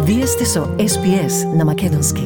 Вие сте со SPS на македонски.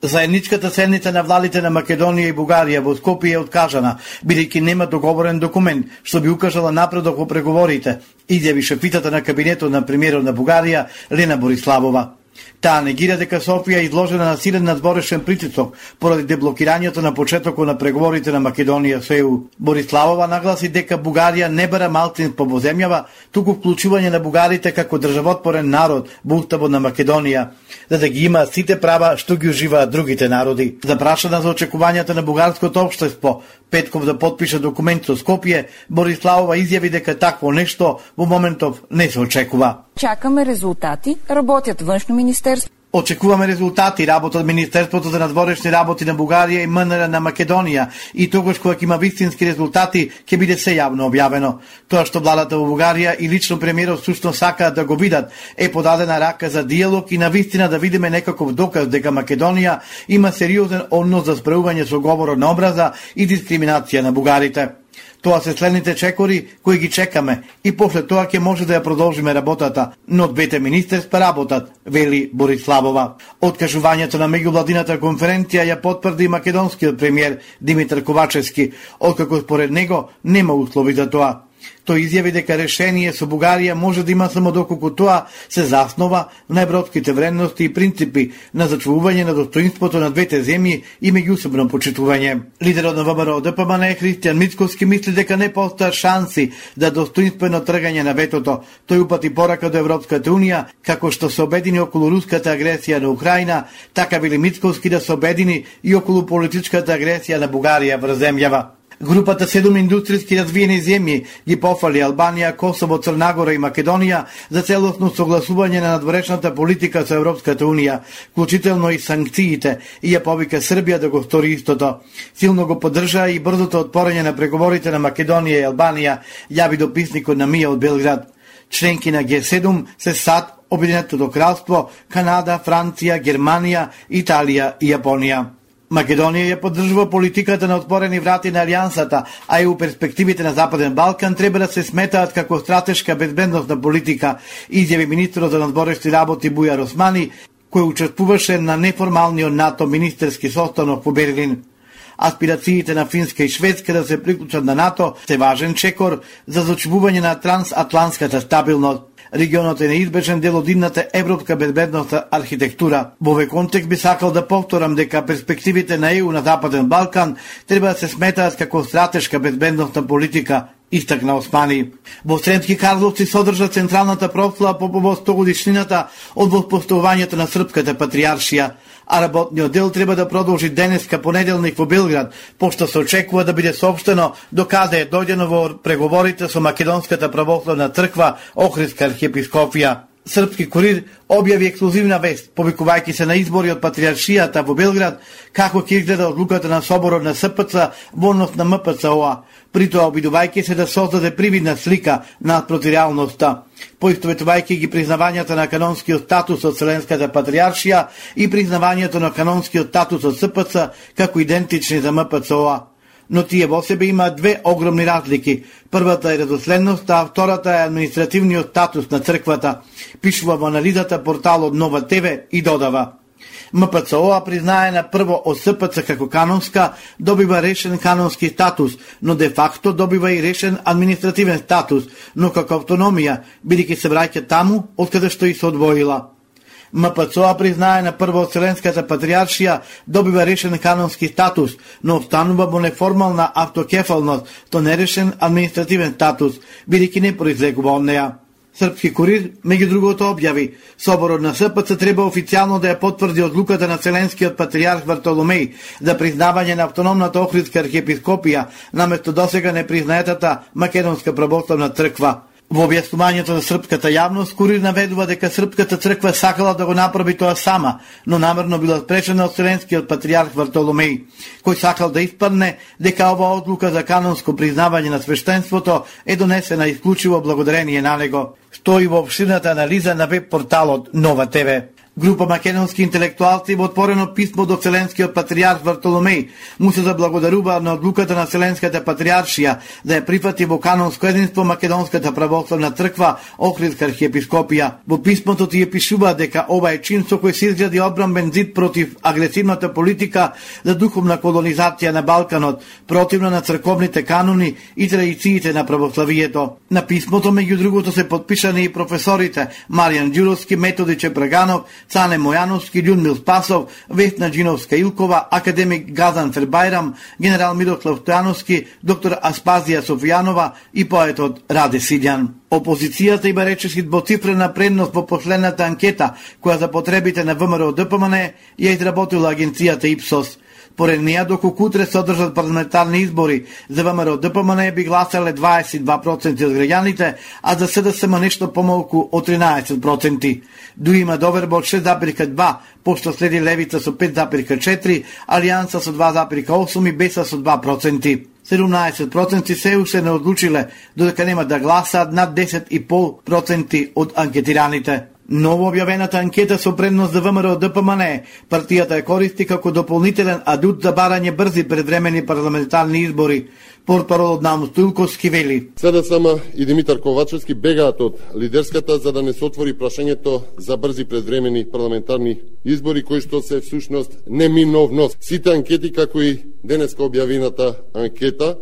Заедничката седница на владите на Македонија и Бугарија во Скопје е откажана, бидејќи нема договорен документ што би укажала напредок во преговорите, изјави шефицата на кабинетот на премиерот на Бугарија Лена Бориславова. Таа негира дека Софија е изложена на силен надворешен притисок поради деблокирањето на почетокот на преговорите на Македонија со ЕУ. Бориславова нагласи дека Бугарија не бара малцинство во земјава, туку вклучување на бугарите како државотворен народ во уставот на Македонија, за да ги има сите права што ги уживаат другите народи. Запрашана за очекувањата на бугарското општество петков да потпише документ со Скопје, Бориславова изјави дека такво нешто во моментов не се очекува. Чакаме резултати, работят външно министерство. Очекуваме резултати, работат Министерството за надворешни работи на Бугарија и МНР на Македонија и тогаш кога ќе има вистински резултати, ќе биде се јавно објавено. Тоа што владата во Бугарија и лично премиерот сушно сакаат да го видат е подадена рака за диалог и навистина да видиме некаков доказ дека Македонија има сериозен однос за справување со говорот на образа и дискриминација на бугарите. Тоа се следните чекори кои ги чекаме и после тоа ќе може да ја продолжиме работата, но двете министерства работат, вели Бориславова. Откажувањето на меѓувладината конференција ја потврди македонскиот премиер Димитар Ковачевски, откако според него нема услови за тоа. Тој изјави дека решение со Бугарија може да има само доколку тоа се заснова на европските вредности и принципи на зачувување на достоинството на двете земји и меѓусебно почитување. Лидерот на ВМРО ДПМН Христијан Мицковски мисли дека не постојат шанси за достоинствено тргање на ветото. Тој упати порака до Европската унија како што се обедини околу руската агресија на Украина, така вели Мицковски да се обедини и околу политичката агресија на Бугарија врз земјава. Групата 7 индустријски развиени земји ги пофали Албанија, Косово, Црнагора и Македонија за целосно согласување на надворешната политика со Европската унија, вклучително и санкциите, и ја повика Србија да го стори истото. Силно го поддржаа и брзото отпорање на преговорите на Македонија и Албанија, јави дописникот на МИА од Белград. Членки на Г7 се САД, Обединетото кралство, Канада, Франција, Германија, Италија и Јапонија. Македонија ја поддржува политиката на отворени врати на Алијансата, а и у перспективите на Западен Балкан треба да се сметаат како стратешка безбедносна политика, изјави министерот за надворешни работи Бујар Османи, кој учествуваше на неформалниот НАТО министерски состанок во Берлин. Аспирациите на Финска и Шведска да се приклучат на НАТО се важен чекор за зачувување на трансатлантската стабилност. Регионот е неизбежен дел од идната европска безбедносна архитектура. Во овој контекст би сакал да повторам дека перспективите на ЕУ на Западен Балкан треба да се сметаат како стратешка безбедносна политика, истакна Османи. Во Сремски Карловци содржа централната прослава по повод 100-годишнината од воспоставувањето на српската патријаршија, а работниот дел треба да продолжи денеска понеделник во Белград, пошто се очекува да биде соопштено докаде е дојдено во преговорите со Македонската православна црква Охридска архиепископија. Српски курир објави ексклузивна вест, повикувајќи се на избори од патријаршијата во Белград, како ќе изгледа одлуката на соборот на СПЦ во однос на МПЦО, при тоа обидувајќи се да создаде привидна слика наспроти реалноста, поистоветувајќи ги признавањата на канонскиот статус од Вселенската патријаршија и признавањето на канонскиот статус од СПЦ како идентични за МПЦО. Но тие во себе има две огромни разлики. Првата е редоследноста, а втората е административниот статус на црквата, пишува во анализата порталот Нова ТВ и додава. МПЦО признае на прво од СПЦ како канонска, добива решен канонски статус, но де факто добива и решен административен статус, но како автономија, бидејќи се враќа таму од каде што и се одвоила. МПЦО признае на прво од Вселенската патријаршија, добива решен канонски статус, но останува во неформална автокефалност, то нерешен административен статус, бидејќи не произлегува од неа. Српски курир, меѓу другото, објави, соборот на СПЦ треба официјално да ја потврди одлуката на Вселенскиот патријарх Вартоломеј за признавање на автономната Охридска архиепископија, наместо досега непризнаетата Македонска православна црква. Во објаснувањето за српската јавност, курир наведува дека српската црква сакала да го направи тоа сама, но намерно била спречена од Вселенскиот патријарх Вартоломеј, кој сакал да испадне дека оваа одлука за канонско признавање на свештенството е донесена исклучиво благодарение на него. Стои во опширната анализа на веб порталот Нова ТВ. Група македонски интелектуалци во отворено писмо до Вселенскиот патријарх Вартоломеј му се заблагодарува на одлуката на Вселенската патријаршија да ја прифати во канонско единство Македонската православна црква Охридска архиепископија. Во писмото тие пишува дека ова е чин со кој се изгради одбранбен зид против агресивната политика за духовна колонизација на Балканот, противно на црковните канони и традициите на православието. На писмото меѓу другото се подпишани и професорите Маријан Ѓуровски, Методи Чепраганов, Цане Мојановски, Људмил Спасов, Весна Џиновска-Илкова, академик Газан Фербајрам, генерал Мирослав Стојановски, доктор Аспазија Софијанова и поетот Раде Сиѓан. Опозицијата има речиси двоцифрена предност во последната анкета, која за потребите на ВМРО-ДПМН ја изработила агенцијата Ипсос. Поред неја, доколку утре се одржат парламентарни избори, за ВМРО-ДПМН би гласале 22% од граѓаните, а за СДСМ нешто помалку од 13%. Дуи има доверба од 6,2%, пошто следи Левица со 5,4%, Алијанса со 2,8% и Беса со 2%. 17% се уште не одлучиле, додека нема да гласаат над 10,5% од анкетираните. Ново објавената анкета со предност за ВМРО-ДПМН, партијата ја користи како дополнителен адут за барање брзи предвремени парламентарни избори. Портпаролот Наум Стоилковски вели: СДСМ и Димитар Ковачевски бегаат од лидерската за да не се отвори прашањето за брзи предвремени парламентарни избори, кои што се всушност неминовност. Сите анкети, како и денеска објавената анкета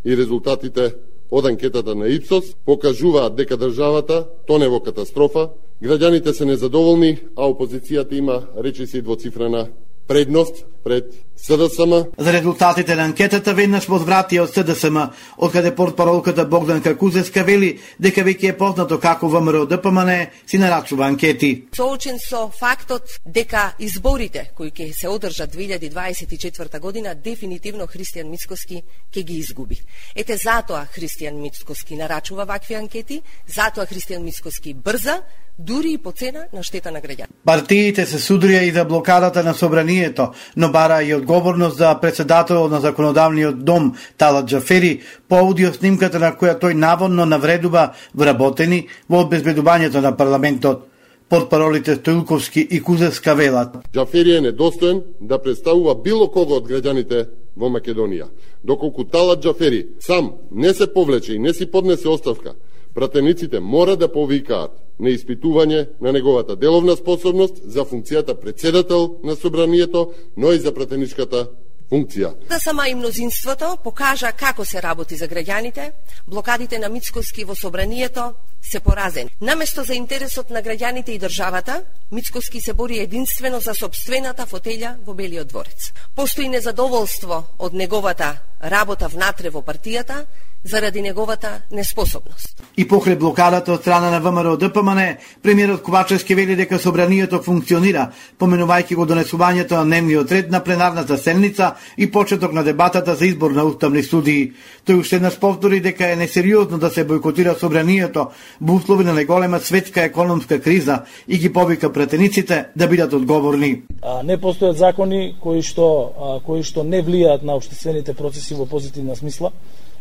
и резултатите од анкетата на Ипсос, покажуваат дека државата тоне во катастрофа, граѓаните се незадоволни, а опозицијата има речиси двоцифрена предност пред СДСМ. За резултатите на анкетата веднаш возвратија од СДСМ, откаде портпаролката Богданка Кузевска вели дека веќе е познато како ВМРО-ДПМН си нарачува анкети. Соочен со фактот дека изборите кои ќе се одржат 2024 година дефинитивно Христијан Мицкоски ќе ги изгуби. Ете затоа Христијан Мицкоски нарачува вакви анкети, затоа Христијан Мицкоски брза, дури и по цена на штета на граѓани. Партиите се судрија и за блокадата на собранието, но бара и одговорност за председател на законодавниот дом Талат Џафери по аудиоснимката на која тој наводно навредува вработени во обезбедувањето на парламентот. Портпаролите Стоилковски и Кузевска велат: Џафери е недостоен да представува било кого од граѓаните во Македонија. Доколку Талат Џафери сам не се повлече и не си поднесе оставка, пратениците мора да повикаат на испитување на неговата деловна способност за функцијата председател на собранието, но и за пратеничката функција. Да сама и мнозинството покажа како се работи за граѓаните, блокадите на Мицкоски во собранието се поразени. Наместо за интересот на граѓаните и државата, Мицкоски се бори единствено за собствената фотелја во Белиот дворец. Постои незадоволство од неговата работа внатре во партијата, заради неговата неспособност. И покрај блокадата од страна на ВМРО-ДПМН, премиерот Ковачевски вели дека собранието функционира, поменувајќи го донесувањето на дневниот ред на пленарната седница и почеток на дебатата за избор на уставни судии. Тој уште еднаш повтори дека е несериозно да се бойкотира собранието во услови на неголема светска економска криза и ги повика пратениците да бидат одговорни. Не постојат закони кои што не влијаат на општествените процеси во позитивна смисла.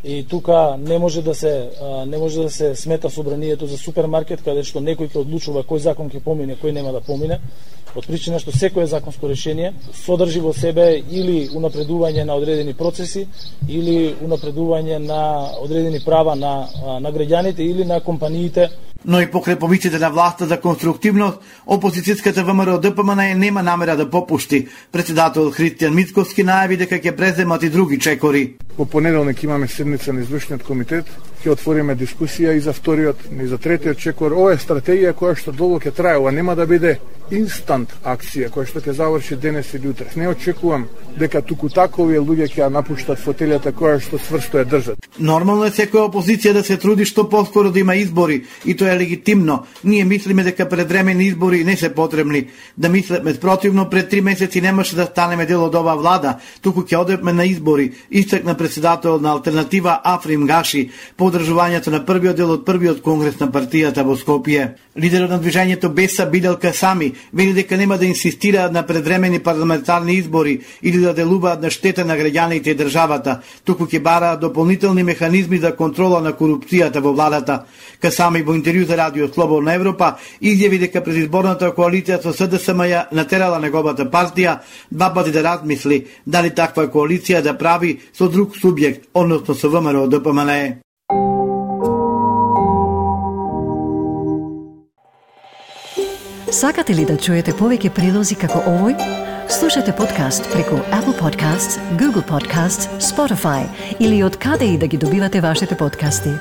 И тука не може да се смета собранието за супермаркет каде што некој ќе одлучува кој закон ќе помине, кој нема да помине, од причина што секое законско решение содржи во себе или унапредување на одредени процеси или унапредување на одредени права на граѓаните или на компаниите. Но и покрај повиците на власта за конструктивност, опозицијската ВМРО-ДПМН нема намера да попушти. Председател Христијан Мицкоски најави дека ќе преземат и други чекори. Во понеделник имаме седница на извршниот комитет, ќе отвориме дискусија и за вториот, и за третиот чекор. Ова е стратегија која што долго ќе трае, ова нема да биде инстант акција која што ќе заврши денес или утре. Не очекувам дека туку такови луѓе ќе ја напуштат фотелјата која што сврсто ја држат. Нормално е секоја опозиција да се труди што поскоро да има избори и тоа е легитимно. Ние мислиме дека предвремени избори не се потребни. Да мислиме спротивно, пред 3 месеци немаше да станеме дел од оваа влада, туку ќе одеме на избори, истакна председател на Алтернатива Африм Гаши, по одржувањето на првиот дел од првиот конгрес на партијата во Скопје. Лидерот на движењето Беса Бидел Касами вели дека нема да инсистираат на предвремени парламентарни избори или да делуваат на штета на граѓаните и државата, туку ќе бараат дополнителни механизми за контрола на корупцијата во владата. Касами во интервју за Радио Слободна Европа изјави дека предизборната коалиција со СДСМ ја натерала неговата партија два пати да размисли дали таква коалиција да прави со друг субјект, односно со ВМРО ДПМНЕ. Сакате ли да чуете повеќе прилози како овој? Слушате подкаст преку Apple Podcasts, Google Podcasts, Spotify или од каде и да ги добивате вашите подкасти.